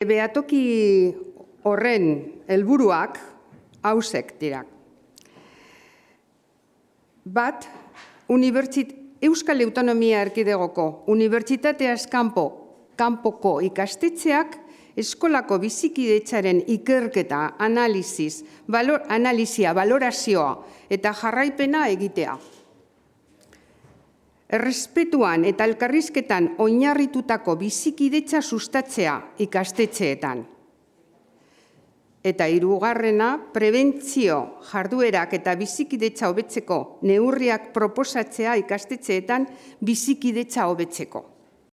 Behatoki horren helburuak hausek dira. Bat, Euskal Autonomia Erkidegoko Unibertsitateaz kanpoko ikastetxeak eskolako bizikidetzaren ikerketa, analisia, balorazioa eta jarraipena egitea. Errespetuan eta elkarrizketan oinarritutako bizikidetza sustatzea ikastetxeetan. Eta hirugarrena, prebentzio jarduerak eta bizikidetza hobetzeko neurriak proposatzea ikastetxeetan bizikidetza hobetzeko.